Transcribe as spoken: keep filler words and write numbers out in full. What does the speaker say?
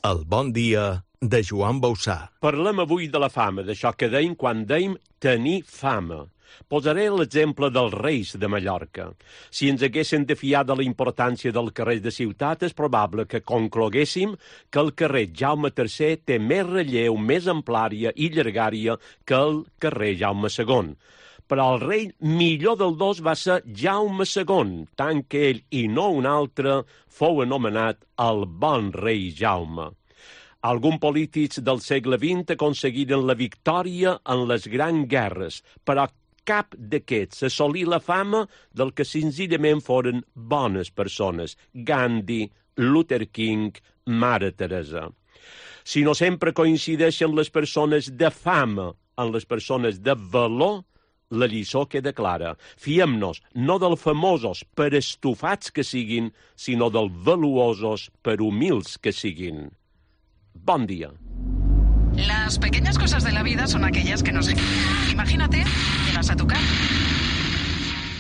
El bon dia de Joan Bausà. Parlem avui de la fama, d'això que dèiem quan dèiem tenir fama. Posaré l'exemple dels Reis de Mallorca. Si ens haguéssim de fiar de la importància del carrer de ciutat, és probable que concloguéssim que el carrer Jaume tercer té més relleu, més amplària i llargària que el carrer Jaume segon. Però el rei millor del dos va ser Jaume segon, tant que ell i no un altre fou anomenat el bon rei Jaume. Alguns polítics del segle vint aconseguiren la victòria en les grans guerres, però cap d'aquests assolí la fama del que senzillament foren bones persones. Gandhi, Luther King, Mare Teresa. Si no sempre coincideixen les persones de fama amb les persones de valor, la lliçó queda clara. Fiem-nos no dels famosos per estufats que siguin, sinó dels valuosos per humils que siguin. Bon dia. Las pequeñas cosas de la vida son aquellas que nos... Imagínate, llegas a tu casa